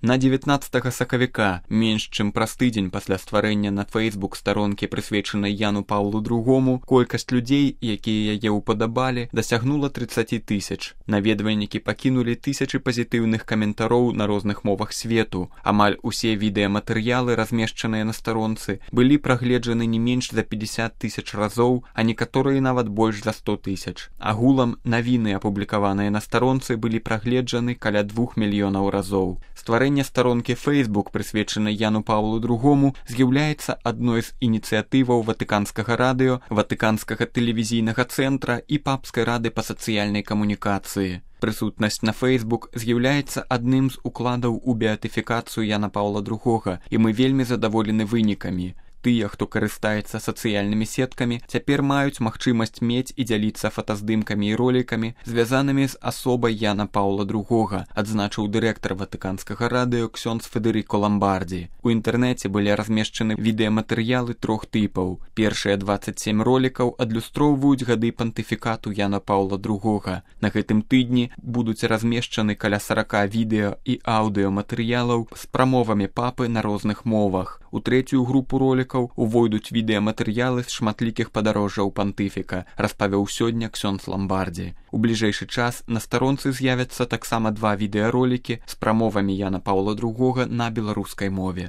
На 19 сакавіка, менш чым праз тыдзень пасля стварэння на Facebook старонкі, прысвечанай Яну Паўлу II, колькасць людзей, якія яе ўпадабалі, дасягнула 30 000. Наведвальнікі пакінулі тысячы пазітыўных каментароў на розных мовах свету. Амаль усе відэаматэрыялы, размешчаныя на старонцы, былі прагледжаны не менш за 50 000 разоў, а некаторыя нават больш за 100 000. Агулам, навіны, апублікаваныя на старонцы, былі прагледжаны каля 2 мільёнаў разоў. Стварэнне старонкі Facebook, прысвечанай Яну Паўлу II, з'яўляецца адной з ініцыятываў Ватыканскага радыё, Ватыканскага тэлевізійнага цэнтра і Папскай рады па сацыяльнай камунікацыі. Прысутнасць на Facebook з'яўляецца адным з укладаў у беатыфікацыю Яна Паўла II, і мы вельмі задаволены вынікамі. Тыя, хто карыстаецца сацыяльнымі сеткамі, цяпер маюць магчымасць мець і дзяліцца фотаздымкамі і ролікамі, звязанымі з асобай Яна Паўла II, адзначыў дырэктар Ватыканскага радыё ксёндз Федэрыко Ламбардзі. У інтэрнэце былі размешчаны відэаматэрыялы 3 тыпаў. Першыя 27 ролікаў адлюстроўваюць гады пантыфікату Яна Паўла II. На гэтым тыдні будуць размешчаны каля 40 відэа і аўдыёматэрыялаў з прамовамі папы на розных мовах. У трэцюю групу ролікаў увойдуць відэаматэрыялы з шматлікіх падарожжаў пантыфіка, распавёў сёння ксёндз Ламбардзі. У бліжэйшы час на старонцы з'явяцца таксама 2 відэаролікі з прамовамі Яна Паўла II на беларускай мове.